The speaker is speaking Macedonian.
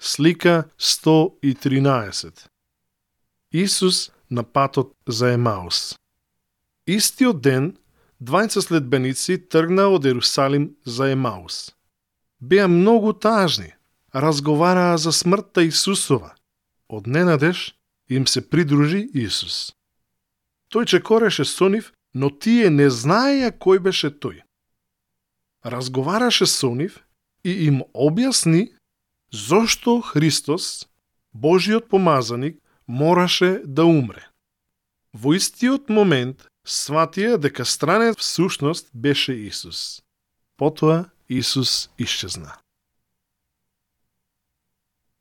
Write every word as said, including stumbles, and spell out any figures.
Слика сто и тринаесет. Исус на патот за Емаус. Истиот ден, двајца следбеници тргнаа од Ерусалим за Емаус. Беа многу тажни, разговараа за смртта Исусова. Од ненадеж им се придружи Исус. Тој чекореше со нив, но тие не знаеја кој беше тој. Разговараше со нив и им објасни зошто Христос, Божиот помазаник, мораше да умре. Во истиот момент сватија дека странец всушност беше Исус. Потоа Исус исчезна.